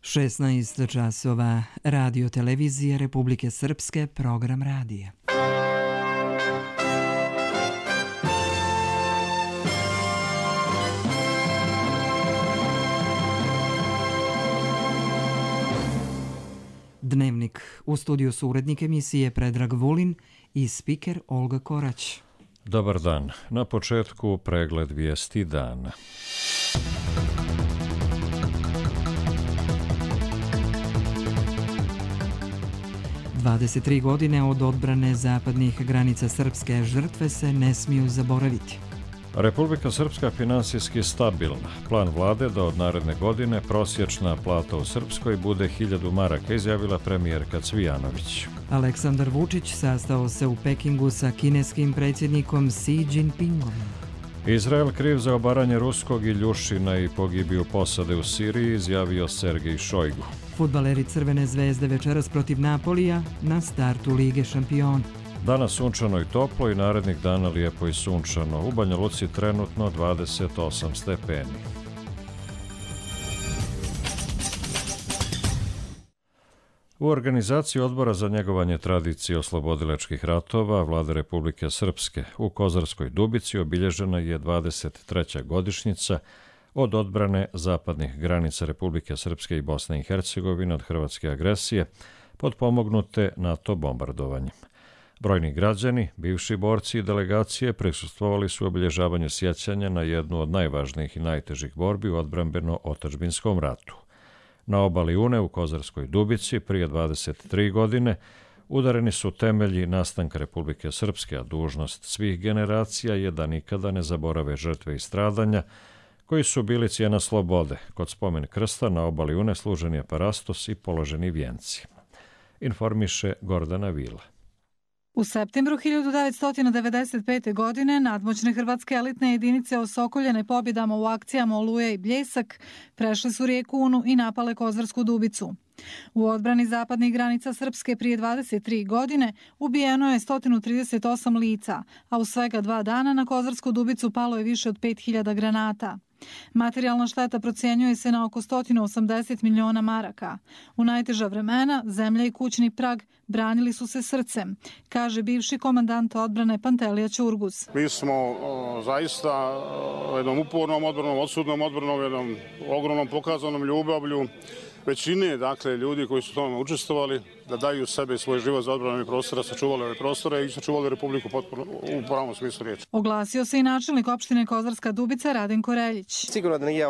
16 časova, Radio televizije Republike Srpske, program radija. Dnevnik. U studiju su urednik emisije Predrag Vulin i spiker Olga Korać. Dobar dan. Na početku pregled vijesti dana. "23 godine od odbrane zapadnih granica Srpske, žrtve se ne smiju zaboraviti." Republika Srpska finansijski stabilna. Plan vlade da od naredne godine prosječna plata u Srpskoj bude 1000 maraka, izjavila premijerka Cvijanović. Aleksandar Vučić sastao se u Pekingu sa kineskim predsjednikom Xi Jinpingom. Izrael kriv za obaranje ruskog Iljušina i pogibiju posade u Siriji, izjavio Sergej Šojgu. Fudbaleri Crvene zvezde večeras protiv Napolija na startu Lige šampiona. Danas sunčano i toplo i narednih dana lijepo i sunčano. U Banja Luci trenutno 28 stepeni. U organizaciji Odbora za njegovanje tradicije oslobodilačkih ratova Vlade Republike Srpske u Kozarskoj Dubici obilježena je 23. godišnjica od odbrane zapadnih granica Republike Srpske i Bosne i Hercegovine od hrvatske agresije, potpomognute NATO bombardovanjem. Brojni građani, bivši borci i delegacije prisustvovali su obilježavanju sjećanja na jednu od najvažnijih i najtežih borbi u odbrambeno-otadžbinskom ratu. Na obali Une u Kozarskoj Dubici prije 23 godine udareni su temelji nastanka Republike Srpske, a dužnost svih generacija je da nikada ne zaborave žrtve i stradanja koji su bili cijena slobode. Kod spomen krsta na obali Une služen je parastos i položeni vijenci. Informiše Gordana Vila. U septembru 1995. godine nadmoćne hrvatske elitne jedinice osokoljene pobjedama u akcijama Oluja i Bljesak prešle su rijeku Unu i napale Kozarsku Dubicu. U odbrani zapadnih granica Srpske prije 23 godine ubijeno je 138 lica, a u svega 2 dana na Kozarsku Dubicu palo je više od 5000 granata. Materijalna šteta procjenjuje se na oko 180 miliona maraka. U najteža vremena zemlja i kućni prag branili su se srcem, kaže bivši komandant odbrane Pantelija Ćurguz. Mi smo zaista jednom upornom odbranom, odsudnom odbranom, jednom ogromnom pokazanom ljubavlju većine, dakle, ljudi koji su tome učestvovali, da daju sebe i svoj život za odbranu prostora, sačuvali ove prostore i sačuvali Republiku potpuno u pravom smislu riječi. Oglasio se i načelnik opštine Kozarska Dubica Radenko Reljić. Sigurno da nije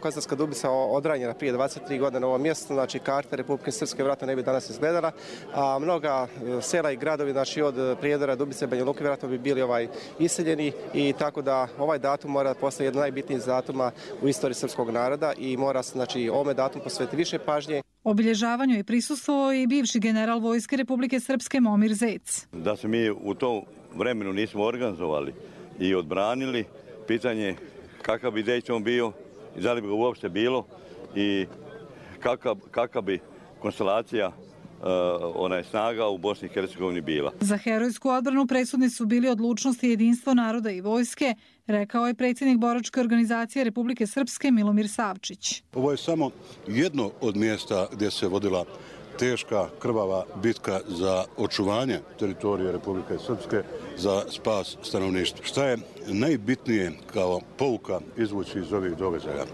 Kozarska Dubica odranjena prije 23 godine na ovom mjestu, znači karta Republike Srpske vjerojatno ne bi danas izgledala, a mnoga sela i gradovi, znači od Prijedora, Dubice, Banja Luke vjerojatno bi bili iseljeni i tako da ovaj datum mora postati jedan najbitnijih datuma u istoriji srpskog naroda i mora se, znači, ovome datumu posvetiti više pažnje. Obilježavanju je prisustvovao i bivši general Vojske Republike Srpske Momir Zec. Da se mi u tom vremenu nismo organizovali i odbranili, pitanje kakav bi Dejton bio i da li bi ga uopšte bilo i kakva bi konstelacija snaga u Bosni i Hercegovini bila. Za herojsku odbranu presudni su bili odlučnost i jedinstvo naroda i vojske, rekao je predsjednik boračke organizacije Republike Srpske Milomir Savčić. Ovo je samo jedno od mjesta gdje se vodila teška, krvava bitka za očuvanje teritorije Republike Srpske, za spas stanovništva. Šta je najbitnije kao pouka izvući iz ovih događaja?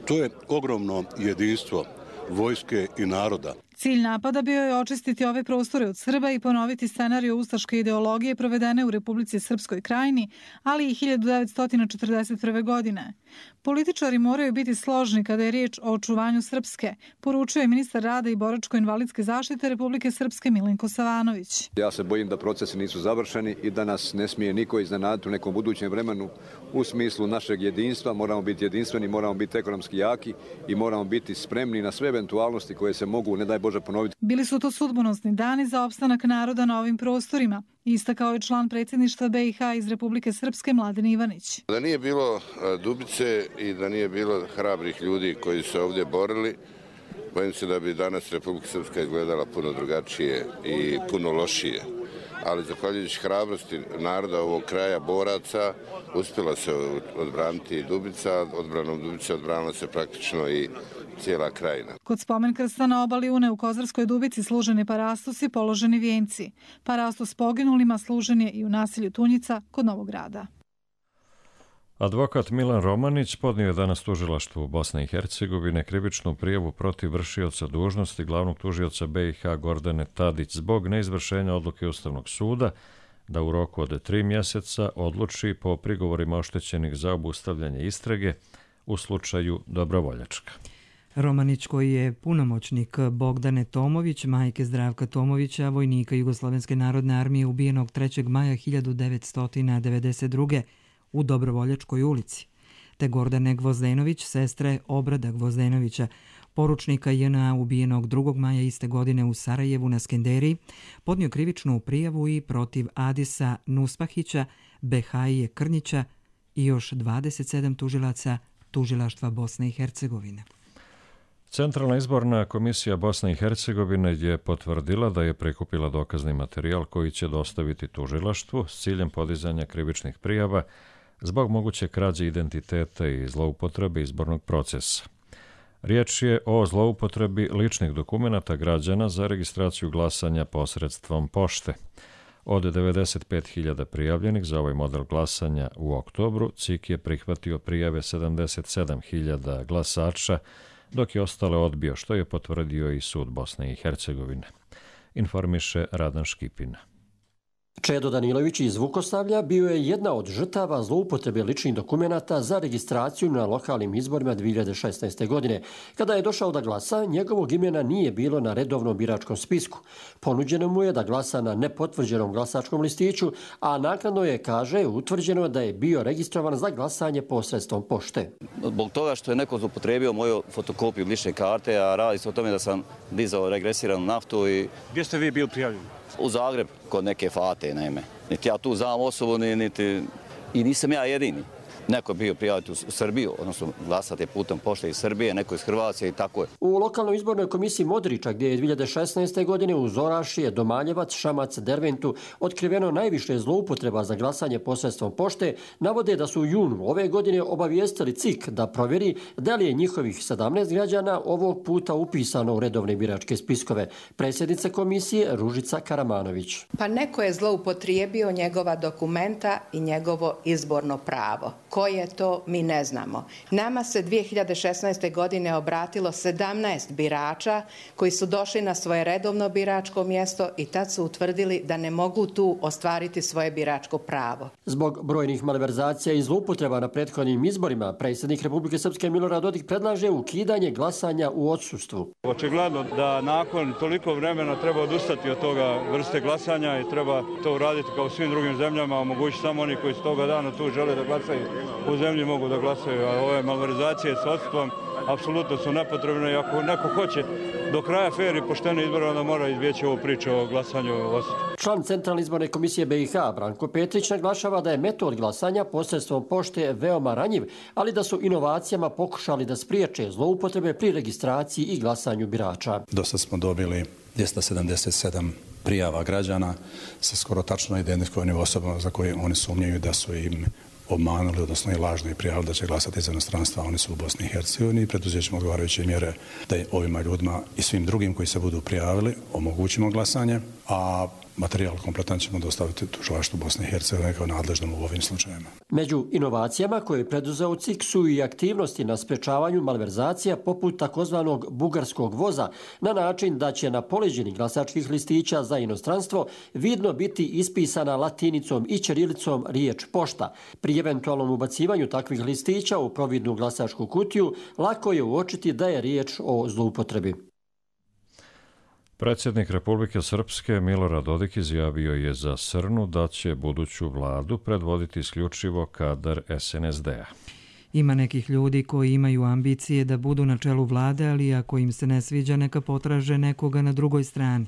To je ogromno jedinstvo vojske i naroda. Cilj napada bio je očistiti ove prostore od Srba i ponoviti scenariju ustaške ideologije provedene u Republici Srpskoj Krajini, ali i 1941. godine. Političari moraju biti složni kada je riječ o očuvanju Srpske, poručuje ministar rada i boračko-invalidske zaštite Republike Srpske Milenko Savanović. Ja se bojim da procesi nisu završeni i da nas ne smije niko iznenaditi u nekom budućem vremenu u smislu našeg jedinstva. Moramo biti jedinstveni, moramo biti ekonomski jaki i moramo biti spremni na sve eventualnosti koje se mogu, ne daj Bože, ponoviti. Bili su to sudbonosni dani za opstanak naroda na ovim prostorima, istakao je član predsjedništva BiH iz Republike Srpske Mladen Ivanić. Da nije bilo Dubice i da nije bilo hrabrih ljudi koji su ovdje borili, bojim se da bi danas Republika Srpska izgledala puno drugačije i puno lošije. Ali zahvaljujući hrabrosti naroda ovog kraja, boraca, uspjela se odbraniti Dubica. Odbranom Dubice odbranila se praktično i cijela krajina. Kod spomen krsta na obali Une u Kozarskoj Dubici služeni parastusi, položeni vijenci. Parastus poginulima služen je i u naselju Tunjica kod Novog Grada. Advokat Milan Romanić podnio je danas tužilaštvu Bosne i Hercegovine krivičnu prijavu protiv vršioca dužnosti glavnog tužioca BiH Gordane Tadić zbog neizvršenja odluke Ustavnog suda da u roku od 3 mjeseca odluči po prigovorima oštećenih za obustavljanje istrage u slučaju Dobrovoljačka. Romanić, koji je punomoćnik Bogdane Tomović, majke Zdravka Tomovića, vojnika Jugoslovenske narodne armije ubijenog 3. maja 1992. u Dobrovoljačkoj ulici, te Gordane Gvozdenović, sestre Obrada Gvozdenovića, poručnika JNA ubijenog 2. maja iste godine u Sarajevu na Skenderiji, podnio krivičnu prijavu i protiv Adisa Nuspahića, Behaije Krnjića i još 27 tužilaca tužilaštva Bosne i Hercegovine. Centralna izborna komisija Bosne i Hercegovine je potvrdila da je prikupila dokazni materijal koji će dostaviti tužilaštvu s ciljem podizanja krivičnih prijava zbog moguće krađe identiteta i zloupotrebe izbornog procesa. Riječ je o zloupotrebi ličnih dokumenata građana za registraciju glasanja posredstvom pošte. Od 95.000 prijavljenih za ovaj model glasanja u oktobru, CIK je prihvatio prijave 77.000 glasača, dok je ostale odbio, što je potvrdio i sud Bosne i Hercegovine. Informiše Radan Škipina. Čedo Danilović iz Vukoslavlja bio je jedna od žrtava zloupotrebe ličnih dokumenata za registraciju na lokalnim izborima 2016. godine. Kada je došao da glasa, njegovog imena nije bilo na redovnom biračkom spisku. Ponuđeno mu je da glasa na nepotvrđenom glasačkom listiću, a naknadno je, kaže, utvrđeno da je bio registrovan za glasanje posredstvom pošte. Zbog toga što je neko zloupotrebio moju fotokopiju lične karte, a radi se o tome da sam dizao regresiranu naftu i... Gdje ste vi bili prijavljeni? U Zagreb, kod neke fate, naime. Niti ja tu znam osobu, niti... I nisam ja jedini. Neko je bio prijaviti u Srbiju, odnosno glasati putem pošte iz Srbije, neko iz Hrvatske i tako je. U lokalnoj izbornoj komisiji Modriča, gdje je 2016. godine uz Orašije, Domaljevac, Šamac, Derventu otkriveno najviše zloupotreba za glasanje posredstvom pošte, navode da su u junu ove godine obavijestili CIK da provjeri da li je njihovih 17 građana ovog puta upisano u redovne biračke spiskove. Predsjednica komisije Ružica Karamanović. Pa neko je zloupotrijebio njegova dokumenta i njegovo izborno pravo. Koje to mi ne znamo. Nama se 2016. godine obratilo 17 birača koji su došli na svoje redovno biračko mjesto i tad su utvrdili da ne mogu tu ostvariti svoje biračko pravo. Zbog brojnih malverzacija i zloupotreba na prethodnim izborima, predsjednik Republike Srpske Milorad Dodik predlaže ukidanje glasanja u odsustvu. Očigledno da nakon toliko vremena treba odustati od toga vrste glasanja i treba to uraditi kao u svim drugim zemljama, omogućiti samo oni koji s toga dana tu žele da glasaju u zemlji mogu da glasaju, a ove malverzacije s odsustvom apsolutno su nepotrebne i ako neko hoće do kraja fer i poštene izbora, onda mora izbjeći ovu priču o glasanju u odsustvu. Član Centralne izborne komisije BiH Branko Petrić naglašava da je metod glasanja posredstvom pošte veoma ranjiv, ali da su inovacijama pokušali da spriječe zloupotrebe pri registraciji i glasanju birača. Dosta smo dobili 277 prijava građana sa skoro tačno identifikovanim osobama za koje oni sumnjaju da su im obmanuli, odnosno i lažno i prijavili da će glasati iz inostranstva, oni su u Bosni i Hercegovini i preduzet ćemo odgovarajuće mjere da ovima ljudima i svim drugim koji se budu prijavili omogućimo glasanje, a materijal kompletan ćemo dostaviti tužilaštvu Bosne i Hercegovine kao nadležnom u ovim slučajevima. Među inovacijama koje je preduzeo CIK su i aktivnosti na sprečavanju malverzacija poput takozvanog bugarskog voza, na način da će na poleđini glasačkih listića za inostranstvo vidno biti ispisana latinicom i ćirilicom riječ pošta. Pri eventualnom ubacivanju takvih listića u providnu glasačku kutiju lako je uočiti da je riječ o zloupotrebi. Predsjednik Republike Srpske Milorad Dodik izjavio je za Srnu da će buduću vladu predvoditi isključivo kadar SNSD-a. Ima nekih ljudi koji imaju ambicije da budu na čelu vlade, ali ako im se ne sviđa, neka potraže nekoga na drugoj strani.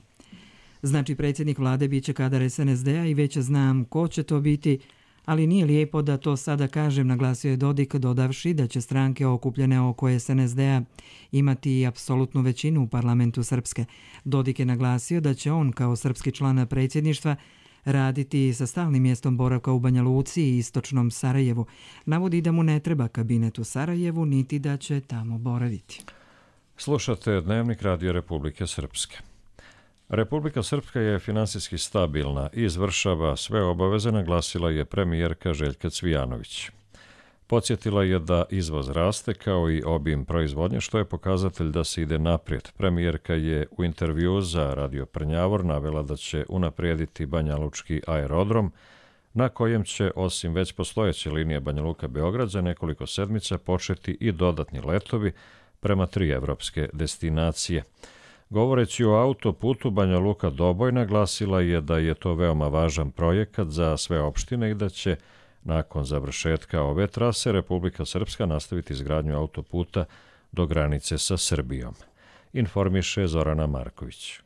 Znači, predsjednik vlade biće kadar SNSD-a i već znam ko će to biti, ali nije lijepo da to sada kažem, naglasio je Dodik, dodavši da će stranke okupljene oko SNSD-a imati i apsolutnu većinu u parlamentu Srpske. Dodik je naglasio da će on kao srpski član predsjedništva raditi sa stalnim mjestom boravka u Banja Luci i istočnom Sarajevu. Navodi da mu ne treba kabinet u Sarajevu, niti da će tamo boraviti. Slušate Dnevnik Radio Republike Srpske. Republika Srpska je finansijski stabilna i izvršava sve obaveze, naglasila je premijerka Željka Cvijanović. Podsjetila je da izvoz raste kao i obim proizvodnje, što je pokazatelj da se ide naprijed. Premijerka je u intervjuu za Radio Prnjavor navela da će unaprijediti Banjalučki aerodrom, na kojem će, osim već postojeće linije Banja Luka-Beograd, za nekoliko sedmica početi i dodatni letovi prema 3 evropske destinacije. Govoreći o autoputu Banja Luka-Doboj, naglasila je da je to veoma važan projekat za sve opštine i da će nakon završetka ove trase Republika Srpska nastaviti izgradnju autoputa do granice sa Srbijom. Informiše Zorana Marković.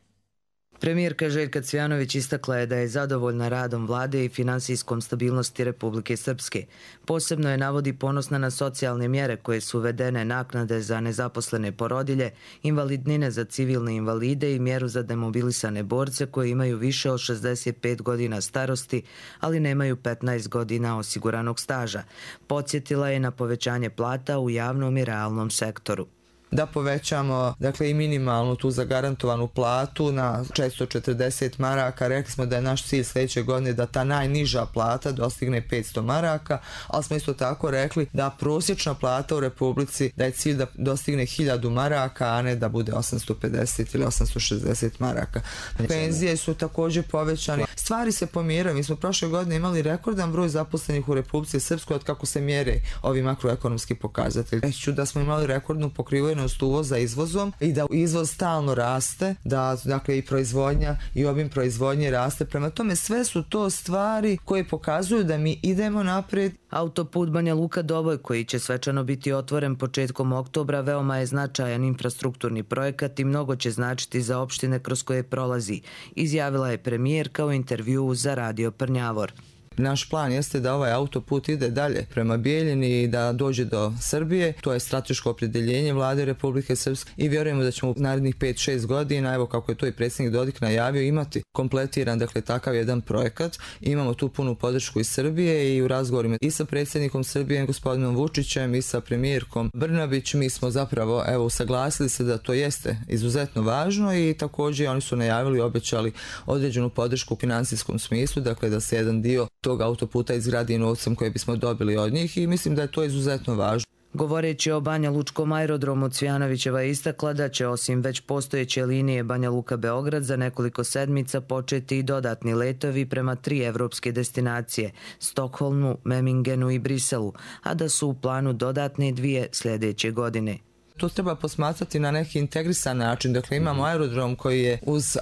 Premijerka Željka Cvijanović istakla je da je zadovoljna radom vlade i finansijskom stabilnosti Republike Srpske. Posebno je navodi ponosna na socijalne mjere koje su uvedene, naknade za nezaposlene porodilje, invalidnine za civilne invalide i mjeru za demobilisane borce koji imaju više od 65 godina starosti, ali nemaju 15 godina osiguranog staža. Podsjetila je na povećanje plata u javnom i realnom sektoru. Da povećamo i minimalnu tu zagarantovanu platu na 440 maraka. Rekli smo da je naš cilj sljedeće godine da ta najniža plata dostigne 500 maraka, ali smo isto tako rekli da prosječna plata u Republici, da je cilj da dostigne 1000 maraka, a ne da bude 850 ili 860 maraka. Penzije su također povećane. Stvari se pomjeraju. Mi smo prošle godine imali rekordan broj zaposlenih u Republici Srpskoj od kako se mjere ovi makroekonomski pokazatelji. Reći ću da smo imali rekordnu pokrivenost uvoza izvozom i da izvoz stalno raste, da i proizvodnja i obim proizvodnje raste. Prema tome sve su to stvari koje pokazuju da mi idemo naprijed. Autoput Banja Luka-Doboj, koji će svečano biti otvoren početkom oktobra, veoma je značajan infrastrukturni projekat i mnogo će značiti za opštine kroz koje prolazi, izjavila je premijerka u intervjuu za Radio Prnjavor. Naš plan jeste da ovaj autoput ide dalje prema Bijeljini i da dođe do Srbije. To je strateško opredjeljenje vlade Republike Srpske i vjerujemo da ćemo u narednih 5-6 godina, evo kako je to i predsjednik Dodik najavio, imati kompletiran takav jedan projekat. Imamo tu punu podršku iz Srbije i u razgovorima i sa predsjednikom Srbije gospodinom Vučićem i sa premijerkom Brnabić mi smo zapravo usaglasili se da to jeste izuzetno važno i također oni su najavili i obećali određenu podršku u financijskom smislu, da se jedan dio tog autoputa izgradi novcem koje bismo dobili od njih i mislim da je to izuzetno važno. Govoreći o Banja Lučkom aerodromu, Cvijanovićeva je istakla da će osim već postojeće linije Banja Luka-Beograd za nekoliko sedmica početi i dodatni letovi prema 3 evropske destinacije, Stokholmu, Memingenu i Briselu, a da su u planu dodatne 2 sljedeće godine. To treba posmatrati na neki integrisan način. Imamo aerodrom koji je uz,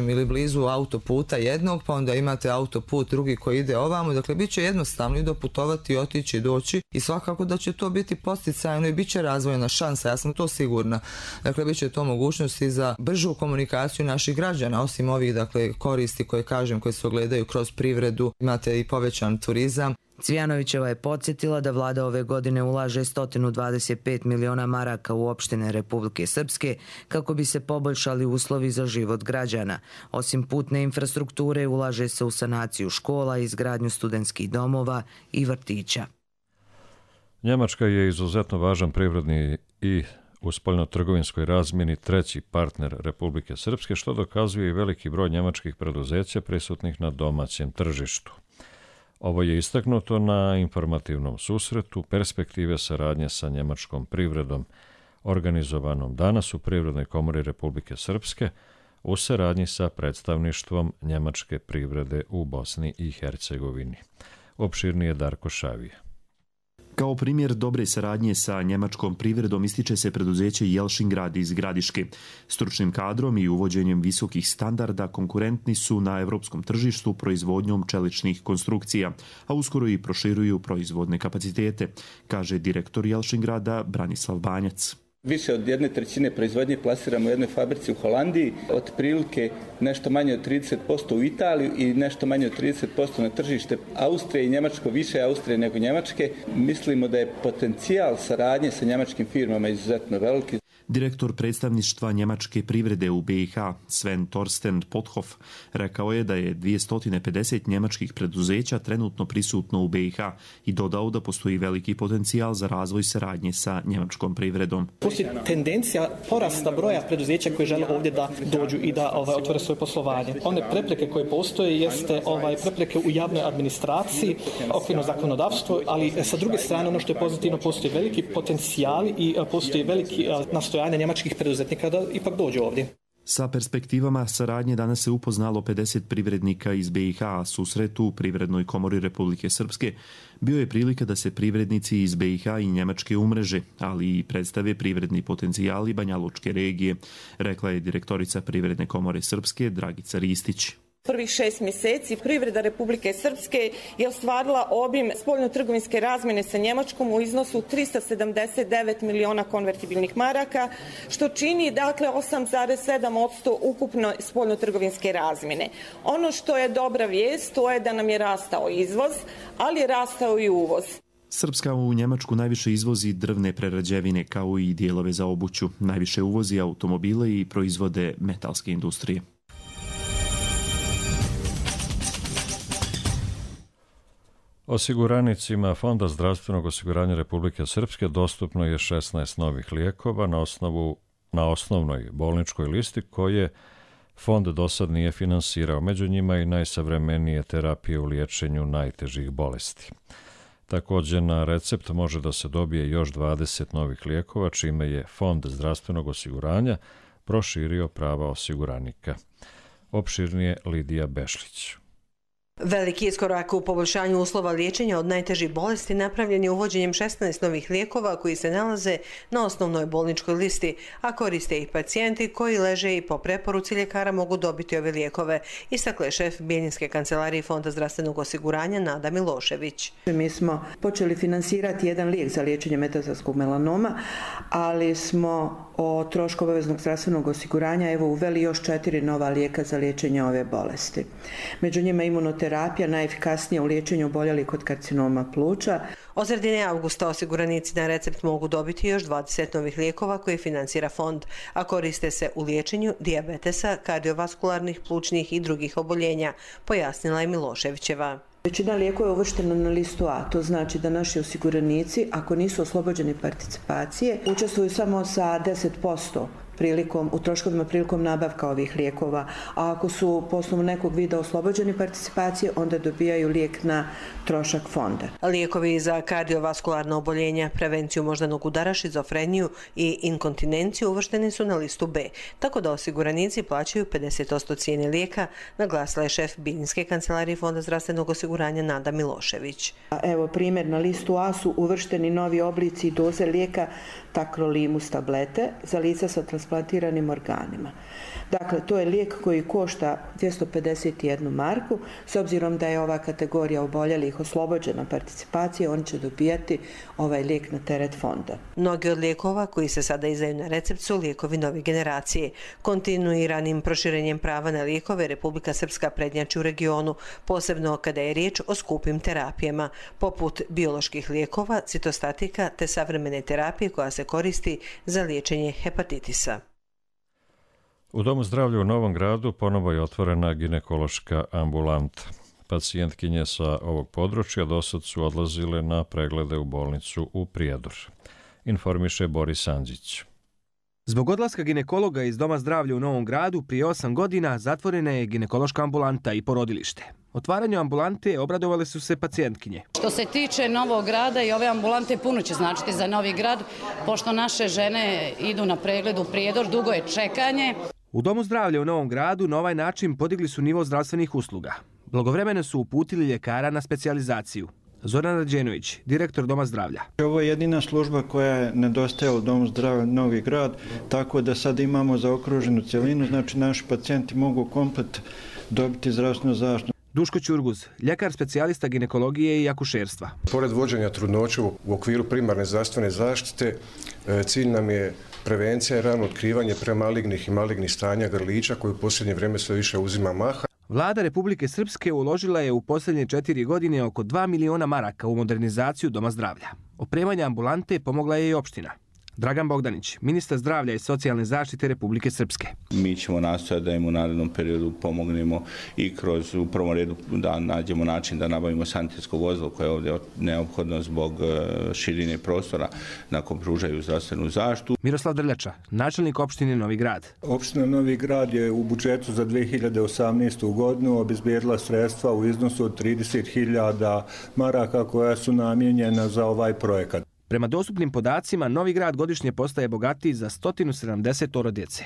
ili blizu autoputa jednog, pa onda imate autoput drugi koji ide ovamo. Bit će jednostavno i doputovati, otići i doći i svakako da će to biti posticajno i bit će razvojna šansa, ja sam to sigurna. Bit će to mogućnosti za bržu komunikaciju naših građana, osim ovih koristi koje se ogledaju kroz privredu, imate i povećan turizam. Cvijanovićeva je podsjetila da vlada ove godine ulaže 125 miliona maraka u opštine Republike Srpske kako bi se poboljšali uslovi za život građana. Osim putne infrastrukture, ulaže se u sanaciju škola, izgradnju studentskih domova i vrtića. Njemačka je izuzetno važan privredni i u spoljnotrgovinskoj razmjeni treći partner Republike Srpske, što dokazuje i veliki broj njemačkih preduzeća prisutnih na domaćem tržištu. Ovo je istaknuto na informativnom susretu perspektive saradnje sa njemačkom privredom, organizovanom danas u Privrednoj komori Republike Srpske u saradnji sa predstavništvom njemačke privrede u Bosni i Hercegovini. Opširnije Darko Šavije. Kao primjer dobre saradnje sa njemačkom privredom ističe se preduzeće Jelšingrad iz Gradiške. Stručnim kadrom i uvođenjem visokih standarda konkurentni su na evropskom tržištu proizvodnjom čeličnih konstrukcija, a uskoro i proširuju proizvodne kapacitete, kaže direktor Jelšingrada Branislav Banjac. Više od 1/3 proizvodnje plasiramo u jednoj fabrici u Holandiji, otprilike nešto manje od 30% u Italiju i nešto manje od 30% na tržište Austrije i Njemačko, više Austrije nego Njemačke. Mislimo da je potencijal saradnje sa njemačkim firmama izuzetno veliki. Direktor predstavništva njemačke privrede u BiH, Sven Torsten Pothoff, rekao je da je 250 njemačkih preduzeća trenutno prisutno u BiH i dodao da postoji veliki potencijal za razvoj saradnje sa njemačkom privredom. Postoji tendencija porasta broja preduzeća koji žele ovdje da dođu i da otvore svoje poslovanje. One prepreke koje postoje jeste prepreke u javnoj administraciji, okvirno zakonodavstvo, ali sa druge strane ono što je pozitivno, postoji veliki potencijali i postoji veliki nastojanje njemačkih preduzetnika da ipak dođu ovdje. Sa perspektivama saradnje danas se upoznalo 50 privrednika iz BiH, a susret u Privrednoj komori Republike Srpske bio je prilika da se privrednici iz BiH i Njemačke umreže, ali i predstave privredni potencijali Banjalučke regije, rekla je direktorica Privredne komore Srpske Dragica Ristić. Prvih 6 mjeseci privreda Republike Srpske je ostvarila obim spoljnotrgovinske razmjene sa Njemačkom u iznosu 379 miliona konvertibilnih maraka, što čini dakle 8,7% ukupno spoljnotrgovinske razmjene. Ono što je dobra vijest, to je da nam je rastao izvoz, ali je rastao i uvoz. Srpska u Njemačku najviše izvozi drvne prerađevine kao i dijelove za obuću. Najviše uvozi automobile i proizvode metalske industrije. Osiguranicima Fonda zdravstvenog osiguranja Republike Srpske dostupno je 16 novih lijekova na osnovnoj bolničkoj listi koje fond do sad nije finansirao. Među njima i najsavremenije terapije u liječenju najtežih bolesti. Također na recept može da se dobije još 20 novih lijekova, čime je Fond zdravstvenog osiguranja proširio prava osiguranika. Opširnije Lidija Bešlić. Veliki iskorak u poboljšanju uslova liječenja od najtežih bolesti napravljen je uvođenjem 16 novih lijekova koji se nalaze na osnovnoj bolničkoj listi, a koriste ih pacijenti koji leže i po preporuci ljekara mogu dobiti ove lijekove, istakla je šef Bijeljinske kancelarije Fonda zdravstvenog osiguranja Nada Milošević. Mi smo počeli finansirati jedan lijek za liječenje metastatskog melanoma, ali smo o trošku obaveznog zdravstvenog osiguranja uveli još 4 nova lijeka za liječenje ove bolesti. Među njima imunoterapija, najefikasnija u liječenju oboljelih od karcinoma pluća. Od sredine avgusta osiguranici na recept mogu dobiti još 20 novih lijekova koje finansira fond, a koriste se u liječenju dijabetesa, kardiovaskularnih, plućnih i drugih oboljenja, pojasnila je Miloševićeva. Većina lijekova je uvrštena na listu A, to znači da naši osiguranici, ako nisu oslobođeni participacije, učestvuju samo sa 10% u troškovima prilikom nabavka ovih lijekova, a ako su po osnovu nekog vida oslobođeni participacije, onda dobijaju lijek na trošak fonda. Lijekovi za kardiovaskularna oboljenja, prevenciju moždanog udara, šizofreniju i inkontinenciju uvršteni su na listu B, tako da osiguranici plaćaju 50% cijene lijeka, naglasila je šef Bijeljinske kancelarije Fonda zdravstvenog osiguranja Nada Milošević. Evo primjer, na listu A su uvršteni novi oblici i doze lijeka takrolimus tablete za lica sa transplantiranim organima. Dakle, to je lijek koji košta 251 marku. S obzirom da je ova kategorija oboljelih oslobođena participacije, oni će dobijati ovaj lijek na teret fonda. Mnogi od lijekova koji se sada izdaju na recept su lijekovi nove generacije. Kontinuiranim proširenjem prava na lijekove Republika Srpska prednjači u regionu, posebno kada je riječ o skupim terapijama, poput bioloških lijekova, citostatika te savremene terapije koja se koristi za liječenje hepatitisa. U Domu zdravlja u Novom Gradu ponovo je otvorena ginekološka ambulanta. Pacijentkinje sa ovog područja dosad su odlazile na preglede u bolnicu u Prijedor. Informiše Boris Andžić. Zbog odlaska ginekologa iz Doma zdravlja u Novom Gradu prije 8 godina zatvorena je ginekološka ambulanta i porodilište. Otvaranju ambulante obradovale su se pacijentkinje. Što se tiče Novog Grada i ove ambulante, puno će značiti za Novi Grad, pošto naše žene idu na pregled u Prijedor, dugo je čekanje. U Domu zdravlja u Novom Gradu na ovaj način podigli su nivo zdravstvenih usluga. Blagovremeno su uputili ljekara na specijalizaciju. Zoran Rađenović, direktor Doma zdravlja. Ovo je jedina služba koja je nedostajala u Domu zdravlja Novi Grad, tako da sad imamo zaokruženu cjelinu, znači naši pacijenti mogu komplet dobiti zdravstvenu zaštitu. Duško Ćurguz, ljekar specijalista ginekologije i akušerstva. Pored vođenja trudnoće u okviru primarne zdravstvene zaštite, cilj nam je prevencija i rano otkrivanje premalignih i malignih stanja grlića koji u posljednje vrijeme sve više uzima maha. Vlada Republike Srpske uložila je u posljednje 4 godine oko 2 miliona maraka u modernizaciju Doma zdravlja. Opremanje ambulante pomogla je i opština. Dragan Bogdanić, ministar zdravlja i socijalne zaštite Republike Srpske. Mi ćemo nastojati da im u narednom periodu pomognemo i kroz u prvom redu da nađemo način da nabavimo sanitetsko vozilo koje je ovdje neophodno zbog širine prostora na kom pružaju zdravstvenu zaštitu. Miroslav Drljača, načelnik opštine Novi Grad. Opština Novi Grad je u budžetu za 2018. godinu obezbijedila sredstva u iznosu od 30.000 maraka koja su namijenjena za ovaj projekat. Prema dostupnim podacima, Novi Grad godišnje postaje bogatiji za 170 djece.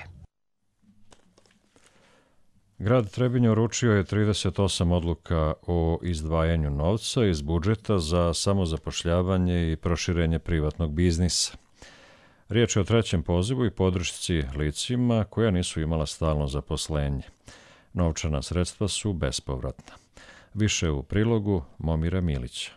Grad Trebinje uručio je 38 odluka o izdvajanju novca iz budžeta za samozapošljavanje i proširenje privatnog biznisa. Riječ je o trećem pozivu i podršci licima koja nisu imala stalno zaposlenje. Novčana sredstva su bespovratna. Više u prilogu Momira Milića.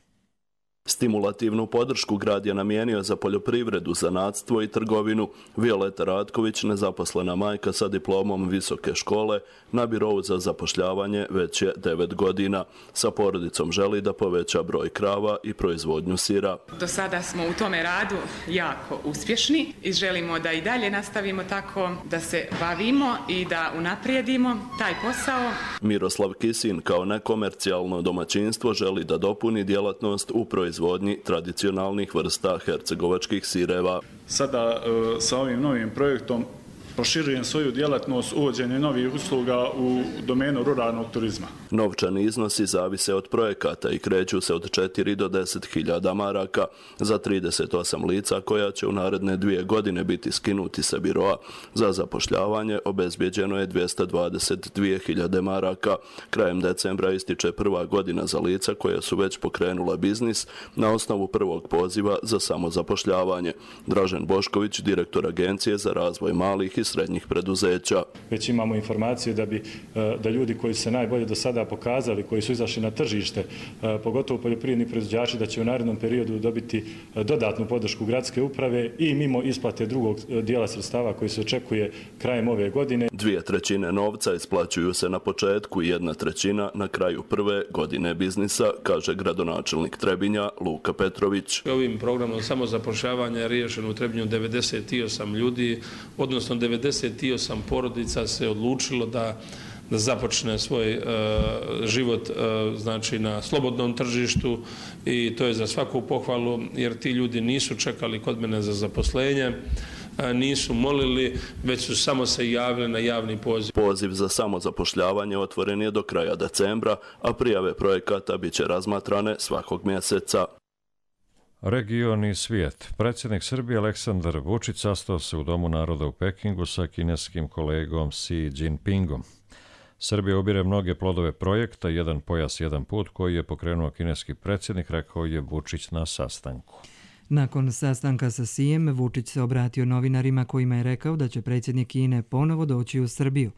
Stimulativnu podršku grad je namijenio za poljoprivredu, zanatstvo i trgovinu. Violeta Ratković, nezaposlena majka sa diplomom visoke škole, na birovu za zapošljavanje već je 9 godina. Sa porodicom želi da poveća broj krava i proizvodnju sira. Do sada smo u tome radu jako uspješni i želimo da i dalje nastavimo tako, da se bavimo i da unaprijedimo taj posao. Miroslav Kisin kao nekomercijalno domaćinstvo želi da dopuni djelatnost u proizvodnji tradicionalnih vrsta hercegovačkih sireva. Sada sa ovim novim projektom proširujem svoju djelatnost uvođenje novih usluga u domenu ruralnog turizma. Novčani iznosi zavise od projekata i kreću se od 4 do 10.000 maraka za 38 lica koja će u naredne 2 godine biti skinuti sa biroa. Za zapošljavanje obezbjeđeno je 222.000 maraka. Krajem decembra ističe prva godina za lica koja su već pokrenula biznis na osnovu prvog poziva za samozapošljavanje. Dražen Bošković, direktor Agencije za razvoj malih i srednjih preduzeća. Već imamo informaciju da ljudi koji su se najbolje do sada pokazali, koji su izašli na tržište, pogotovo poljoprivredni proizvođači, da će u narednom periodu dobiti dodatnu podršku gradske uprave i mimo isplate drugog dijela sredstava koji se očekuje krajem ove godine. 2/3 novca isplaćuju se na početku i 1/3 na kraju prve godine biznisa, kaže gradonačelnik Trebinja Luka Petrović. Ovim programom samozapošljavanja je riješeno u Trebinju 98 ljudi, odnosno 98 porodica se odlučilo da započne svoj život znači na slobodnom tržištu i to je za svaku pohvalu jer ti ljudi nisu čekali kod mene za zaposlenje, nisu molili, već su samo se javili na javni poziv. Poziv za samozapošljavanje otvoren je do kraja decembra, a prijave projekata bit će razmatrane svakog mjeseca. Region i svijet. Predsjednik Srbije Aleksandar Vučić sastao se u Domu naroda u Pekingu sa kineskim kolegom Xi Jinpingom. Srbija ubire mnoge plodove projekta Jedan pojas, jedan put koji je pokrenuo kineski predsjednik, rekao je Vučić na sastanku. Nakon sastanka sa Xijem, Vučić se obratio novinarima kojima je rekao da će predsjednik Kine ponovo doći u Srbiju.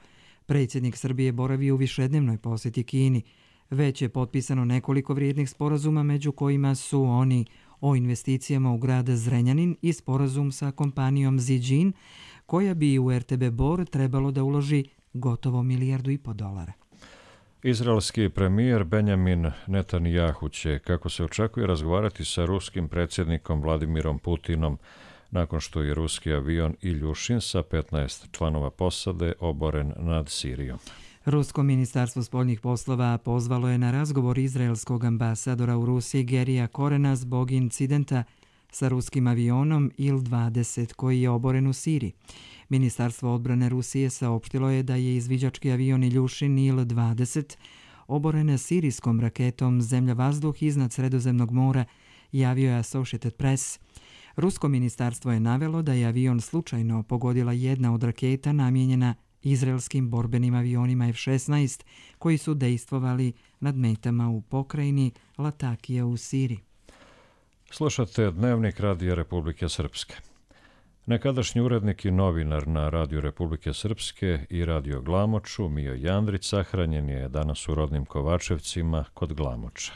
Predsjednik Srbije boravi u višednevnoj posjeti Kini. Već je potpisano nekoliko vrijednih sporazuma, među kojima su oni o investicijama u grad Zrenjanin i sporazum sa kompanijom Zijin, koja bi u RTB Bor trebalo da uloži gotovo $1,5 milijardu. Izraelski premijer Benjamin Netanjahu će, kako se očekuje, razgovarati sa ruskim predsjednikom Vladimirom Putinom nakon što je ruski avion Iljušin sa 15 članova posade oboren nad Sirijom. Rusko ministarstvo spoljnih poslova pozvalo je na razgovor izraelskog ambasadora u Rusiji Gerija Korena zbog incidenta sa ruskim avionom Il-20 koji je oboren u Siriji. Ministarstvo odbrane Rusije saopštilo je da je izviđački avion Iljušin Il-20 oboren sirijskom raketom zemlja-vazduh iznad Sredozemnog mora, javio je Associated Press. Rusko ministarstvo je navelo da je avion slučajno pogodila jedna od raketa namijenjena izraelskim borbenim avionima F-16 koji su dejstvovali nad metama u pokrajini Latakija u Siriji. Slušate Dnevnik Radija Republike Srpske. Nekadašnji urednik i novinar na Radiju Republike Srpske i Radio Glamoču, Mio Jandrić, sahranjen je danas u rodnim Kovačevcima kod Glamoča.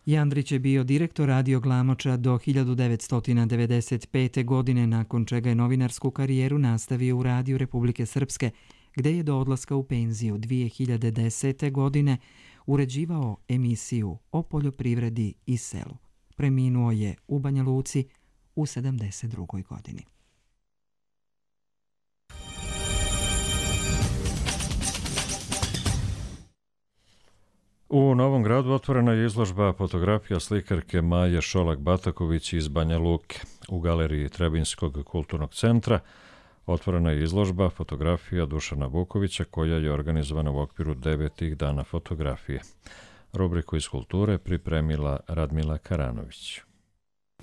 Jandrić je bio direktor Radio Glamoča do 1995. godine, nakon čega je novinarsku karijeru nastavio u Radiju Republike Srpske, gde je do odlaska u penziju 2010. godine uređivao emisiju o poljoprivredi i selu. Preminuo je u Banja Luci u 72. godini. U Novom Gradu otvorena je izložba fotografija slikarke Maje Šolak-Bataković iz Banja Luke. U galeriji Trebinjskog kulturnog centra otvorena je izložba fotografija Dušana Vukovića koja je organizovana u okviru 9. dana fotografije. Rubriku iz kulture pripremila Radmila Karanović.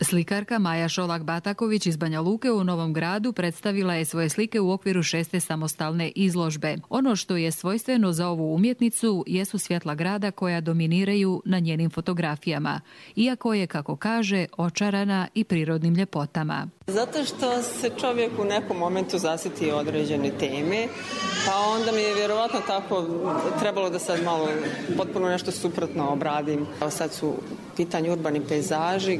Slikarka Maja Šolak-Bataković iz Banja Luke u Novom Gradu predstavila je svoje slike u okviru 6. samostalne izložbe. Ono što je svojstveno za ovu umjetnicu jesu svjetla grada koja dominiraju na njenim fotografijama, iako je, kako kaže, očarana i prirodnim ljepotama. Zato što se čovjek u nekom momentu zasjeti određene teme, pa onda mi je vjerovatno tako trebalo da sad malo potpuno nešto suprotno obradim. Sad su pitanje urbani pejzaži,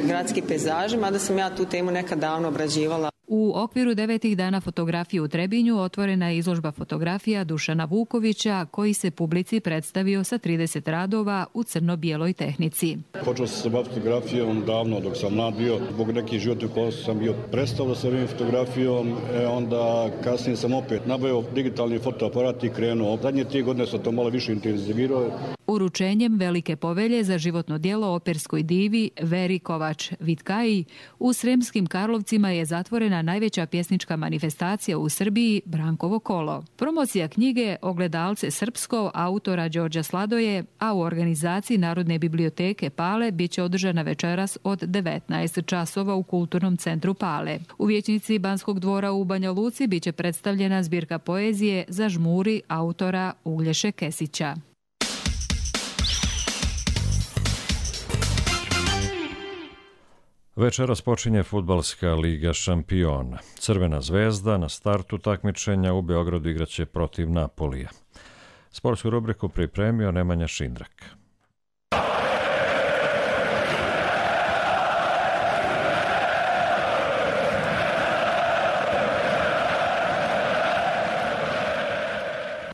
gradski pejzaži, mada sam ja tu temu nekad davno obrađivala. U okviru 9. dana fotografije u Trebinju otvorena je izložba fotografija Dušana Vukovića, koji se publici predstavio sa 30 radova u crno-bijeloj tehnici. Počeo sam se baviti fotografijom davno dok sam mlad bio. Zbog nekih životnih okolnosti sam bio prestao da se bavim fotografijom, onda kasnije sam opet nabavio digitalni fotoaparat i krenuo. Zadnje 3 godine sam to malo više intenzivirao. Uručenjem velike povelje za životno djelo operskoj divi Veri Kovač-Vitkaji u Sremskim Karlovcima je zatvorena najveća pjesnička manifestacija u Srbiji, Brankovo kolo. Promocija knjige Ogledalce srpsko autora Đorđa Sladoje, a u organizaciji Narodne biblioteke Pale biće održana večeras od 19 časova u Kulturnom centru Pale. U vijećnici Banskog dvora u Banja Luci biće predstavljena zbirka poezije Zažmuri autora Uglješe Kesića. Večeras počinje Fudbalska liga šampiona. Crvena zvezda na startu takmičenja u Beogradu igraće protiv Napolija. Sportsku rubriku pripremio Nemanja Šindrak.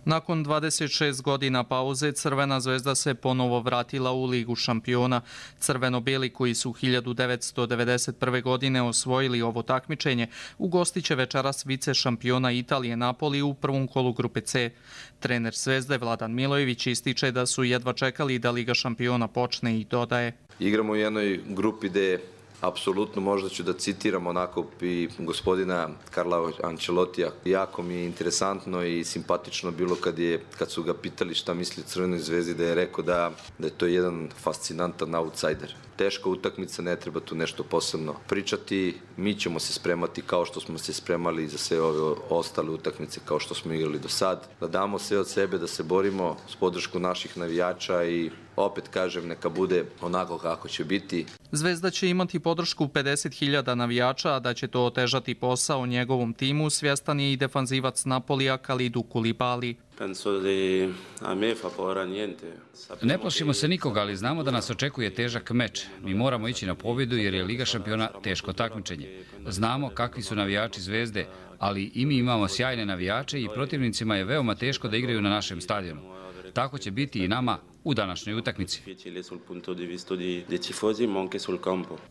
Nakon 26 godina pauze, Crvena zvezda se ponovo vratila u Ligu šampiona. Crveno-bijeli koji su 1991. godine osvojili ovo takmičenje, ugostiće večeras vice šampiona Italije Napoli u prvom kolu grupe C. Trener Zvezde Vladan Milojević ističe da su jedva čekali da Liga šampiona počne i dodaje. Igramo u jednoj grupi gde apsolutno možda ću da citiram onako i gospodina Carlo Ancelotija. Jako mi je interesantno i simpatično bilo kad su ga pitali šta misli o Crvenoj zvezdi, da je rekao da je to jedan fascinantan outsider. Teška utakmica, ne treba tu nešto posebno pričati. Mi ćemo se spremati kao što smo se spremali za sve ove ostale utakmice kao što smo igrali do sad. Da damo sve od sebe, da se borimo s podrškom naših navijača i opet kažem, neka bude onako kako će biti. Zvezda će imati podršku 50.000 navijača, a da će to otežati posao njegovom timu, svjestan je i defanzivac Napolija Kalidou Koulibaly. Ne plašimo se nikoga, ali znamo da nas očekuje težak meč. Mi moramo ići na pobjedu jer je Liga šampiona teško takmičenje. Znamo kakvi su navijači Zvezde, ali i mi imamo sjajne navijače i protivnicima je veoma teško da igraju na našem stadionu. Tako će biti i nama u današnjoj utakmici.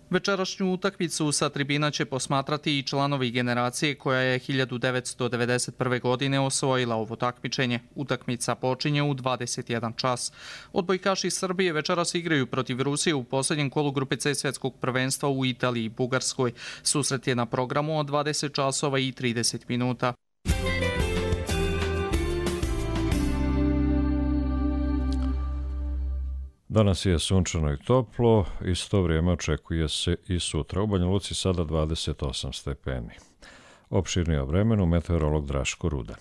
Večerašnju utakmicu sa tribina će posmatrati i članovi generacije koja je 1991. godine osvojila ovo takmičenje. Utakmica počinje u 21 čas. Odbojkaši Srbije večeras igraju protiv Rusije u posljednjem kolu grupe C svjetskog prvenstva u Italiji i Bugarskoj. Susret je na programu od 20 časova i 30 minuta. Danas je sunčano i toplo, isto vrijeme očekuje se i sutra. U Banja Luci sada 28 stepeni. Opširnije o vremenu meteorolog Draško Rudan.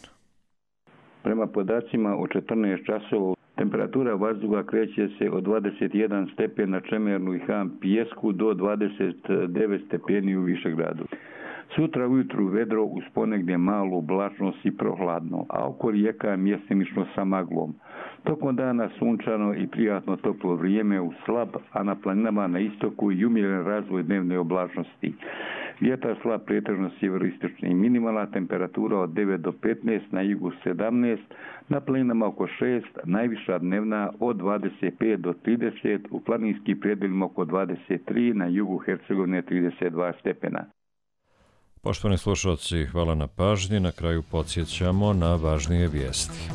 Prema podacima o 14 časova temperatura vazduha kreće se od 21 stepen na Čemernu i Han Pijesku do 29 stepeni u Višegradu. Sutra ujutru vedro uz ponegdje malu oblačnost i prohladno, a oko rijeka mjestimično sa maglom. Tokom dana sunčano i prijatno toplo vrijeme u slab, a na planinama na istoku i umjeren razvoj dnevne oblačnosti. Vjetar slab pretežno sjeveroistočni, minimalna temperatura od 9 do 15, na jugu 17, na planinama oko 6, najviša dnevna od 25 do 30, u planinskim predjelima oko 23, na jugu Hercegovine 32 stepena. Poštovani slušalci, hvala na pažnji. Na kraju podsjećamo na važnije vijesti.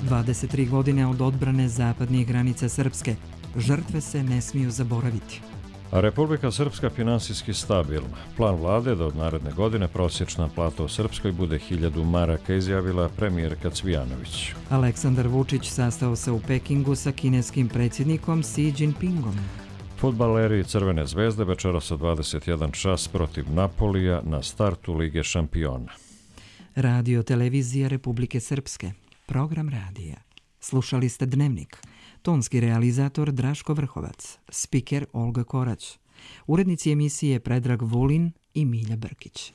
23 godine od odbrane zapadnih granica Srpske. Žrtve se ne smiju zaboraviti. A Republika Srpska finansijski stabilna. Plan vlade da od naredne godine prosječna plata u Srpskoj bude 1000 maraka, izjavila premijerka Cvijanović. Aleksandar Vučić sastao se u Pekingu sa kineskim predsjednikom Xi Jinpingom. Fudbaleri Crvene zvezde večeras od 21 čas protiv Napolija na startu Lige šampiona. Radio televizija Republike Srpske. Program radija. Slušali ste Dnevnik. Tonski realizator Draško Vrhovac. Spiker Olga Korać. Urednici emisije Predrag Vulin i Milja Brkić.